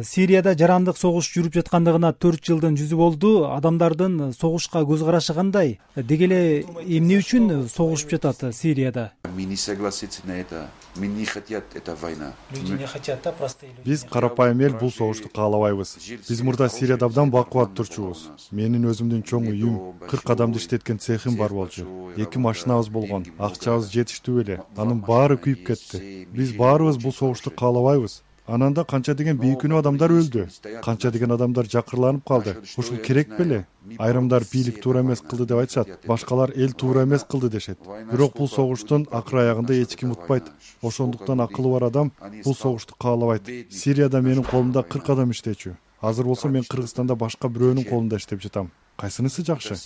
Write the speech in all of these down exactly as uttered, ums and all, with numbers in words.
Сирияда жарандык согуш жүрүп жаткандыгына төрт жылдын жүзү болду. Адамдардын согушка көз карашы кандай? Деги эле эмне үчүн согушуп жатат Сирияда? Биз карапайым эл бул согушту каалабайбыз. Биз мурда Сирияда абдан бакубат турчубуз. Менин өзүмдүн чоң үйүм, кырк адамды иштеткен цехим бар болчу. Эки машинабыз болгон, акчабыз жетиштүү эле. Анын баары күйүп кетти. Биз баарыбыз бул согушту каалабайбыз. Ананда канча деген бейкүнөө адамдар өлдү. Канча деген адамдар жакырланып калды. Ушул керек беле? Айрымдар бийлик туура эмес кылды деп айтышат, башкалар эл туура эмес кылды дешет. Бирок бул согуштун акыр аягында эч ким утпайт. Ошондуктан акылы бар адам бул согушту каалабайт. Сирияда менин колумда кырк адам иштечү. Азыр болсо мен Кыргызстанда башка бирөөнүн колунда иштеп жатам. Кайсынысы жакшы?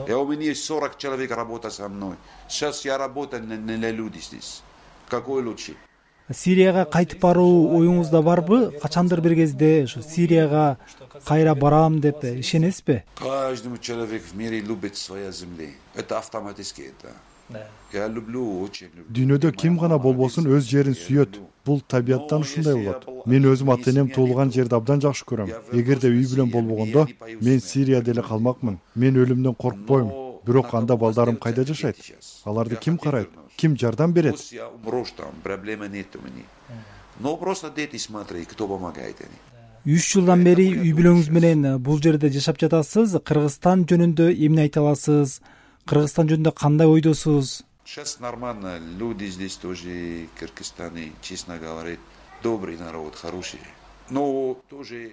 Я у меня есть сорок человек работает со мной. Сейчас я работаю на люди здесь. Какой лучше? Сирияга кайтып баруу оюңузда барбы? Качандыр бир кезде ошо Сирияга кайра барам деп ишенесизби? Каждый человек в мире любит свою землю. Это автоматически это. Я люблю, очень люблю. Дүйнөдө ким гана болбосун өз жерин сүйөт. Бул табияттан ушундай болот. Мен өзүм ата-энем туулган жерди абдан жакшы көрөм. Эгерде үй бүлөм болбогондо, мен Сирияда эле калмакмын. Мен өлүмдөн коркпойм. Бирок анда балдарым кайда жашайт? Аларды ким карайт? Ким жардам берет? үч жылдан бери үй бүлөңүз менен бул жерде жашап жатасыз. Кыргызстан жөнүндө эмне айта аласыз? Кыргызстан жөнүндө кандай ойдосуз? Сейчас нормально, люди здесь тоже, Кыргызстане, честно говоря, добрый народ, хороший.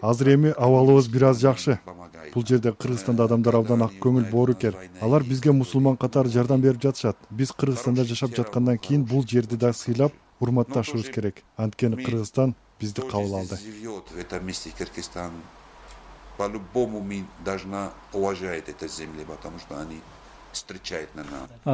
Азыр эми абалыбыз бир аз жакшы. Бул жерде Кыргызстанда адамдар абдан ак көңүл, боорукер. Алар бизге мусулман катары жардам берип жатышат. Биз Кыргызстанда жашап жаткандан кийин бул жерди да сыйлап, урматташыбыз керек. Анткени Кыргызстан бизди кабыл алды. В этом месте Кыргызстан по-любому мы должна уважать эту землю, потому что они встречают нас.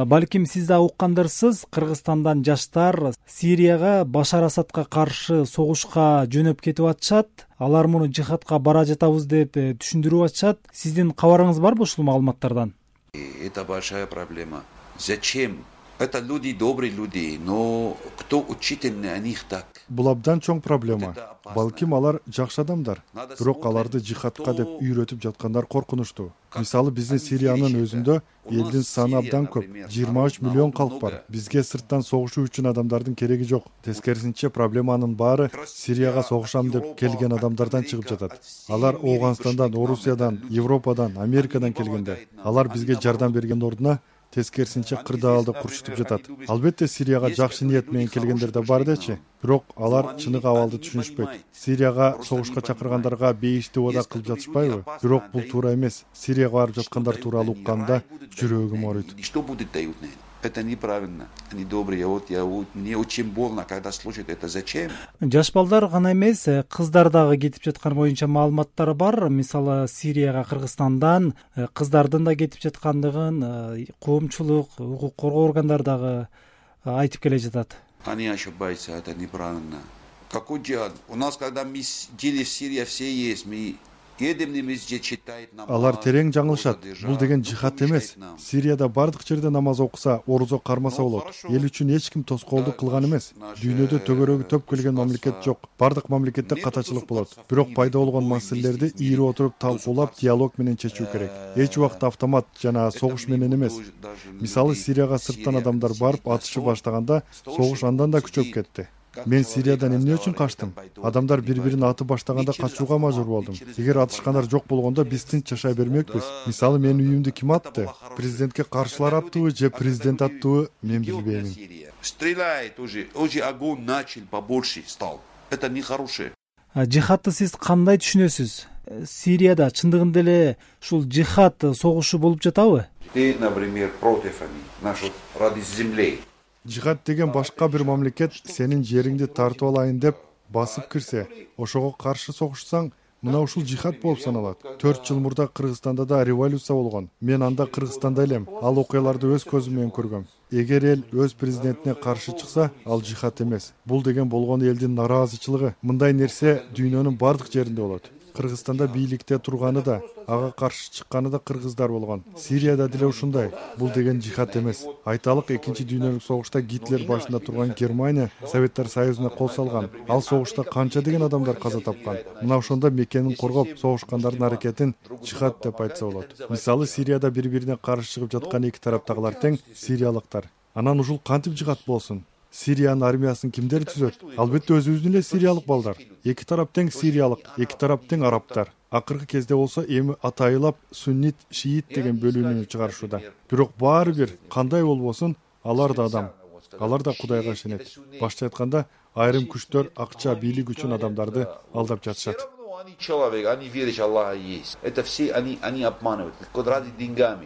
Балким сиз да уккандырсыз, Кыргызстандан жаштар Сирияга Башар Асадка каршы согушка жөнөп кетип атышат. Алар муну жихадка бара жатабыз деп түшүндүрүп атышат. Сиздин кабарыңыз барбы ушул маалыматтардан? Это большая проблема. Зачем? Это люди, добрые люди, но кто учитель на них так? Бул абдан чоң проблема. Балким алар жакшы адамдар, бирок аларды жихадка деп үйрөтүп жаткандар коркунучтуу. Мисалы биздин Сириянын өзүндө элдин саны абдан көп, жыйырма үч миллион калк бар. Бизге сырттан согушуу үчүн адамдардын кереги жок. Тескерисинче проблеманын баары Сирияга согушам деп келген адамдардан чыгып жатат. Алар Ооганстандан, Орусиядан, Европадан, Америкадан келгендер. Алар бизге жардам берген ордуна тескерисинче кырдаалды курчутуп жатат. Албетте Сирияга жакшы ниет менен келгендер да бар дечи, бирок алар чыныгы абалды түшүнүшпөйт. Сирияга согушка чакыргандарга бейиштүү ода кылып жатышпайбы? Бирок бул туура эмес. Сирияга барып жаткандар тууралуу укканда жүрөгүм ооруйт. Что будет дают? Это неправильно. Они добрые. Вот я мне очень больно, когда слушают это. Зачем? Жаш балдар гана эмес, кыздар дагы кетип жаткан боюнча маалыматтар бар. Мисалы Сирияга Кыргызстандан кыздардын да кетип жаткандыгын коомчулук, укук коргоо органдары дагы айтып келе жатат. Они ошибаются, это неправильно. Какой джихад? У нас, когда мы жили в Сирии, все есть, мы Алар терең жаңылышат. Бул деген жихад эмес. Сирияда бардык жерде намаз окуса, орузо кармаса болот. Эл үчүн эч ким тоскоолдук кылган эмес. Дүйнөдө төгөрөгү төп келген мамлекет жок. Бардык мамлекетте катачылык болот. Бирок пайда болгон маселелерди ийри отуруп талкуулап, диалог менен чечүү керек. Эч убакта автомат жана согуш менен эмес. Мисалы Сирияга сырттан адамдар барып атышы баштаганда, согуш андан да күчөп кетти. Мен Сириядан эмне үчүн качтым? Адамдар бири-бирин атып баштаганда качууга мажбур болдум. Эгер атышкандар жок болгондо биз тынч жашай бермекпиз. Мисалы менин үйүмдү ким атты? Президентке каршылар аттыбы же президент аттыбы? Мен билбейм. Стреляет уже, уже огонь начал побольше стал. Это нехорошее. Жихадты сиз кандай түшүнөсүз? Сирияда чындыгында эле ушул жихад согушу болуп жатабы? Ты, например, против нашей ради земли. Жихад деген башка бир мамлекет сенин жериңди тартып алайын деп басып кирсе, ошого каршы согушсаң, мына ушул жихад болуп саналат. төрт жыл мурда Кыргызстанда да революция болгон. Мен анда Кыргызстанда элем. Ал окуяларды өз көзүм менен көргөм. Эгер эл өз президентине каршы чыкса, ал жихад эмес. Бул деген болгон элдин нараазычылыгы. Мындай нерсе дүйнөнүн бардык жеринде болот. Кыргызстанда бийликте турганы да, ага каршы чыкканы да кыргыздар болгон. Сирияда деле ушундай. Бул деген жихад эмес. Айталык, экинчи дүйнөлүк согушта Гитлер башында турган Германия Советтер Союзуна кол салган. Ал согушта канча деген адамдар каза тапкан. Мына ошондо Меккени коргоп согушкандардын аракетин жихад деп айтса болот. Мисалы, Сирияда бири-бирине каршы чыгып жаткан эки тараптагылар тең сириялыктар. Анан ушул кантип жихад болсун? Сириянын армиясын кимдер түзөт? Албетте өзүбүздүн эле сириялык балдар. Эки тарап тең сириялык, эки тарап тең арабтар. Акыркы кезде болсо эми атайылап суннит, шиит деген бөлүүнү чыгарышууда. Бирок баары бир кандай болбосун, алар да адам. Алар да Кудайга ишенет. Башча айтканда, айрым күчтөр акча, бийлик үчүн адамдарды алдап жатышат. Человек, они верят, Аллах есть. Это все они, они обманывают, ради деньгами.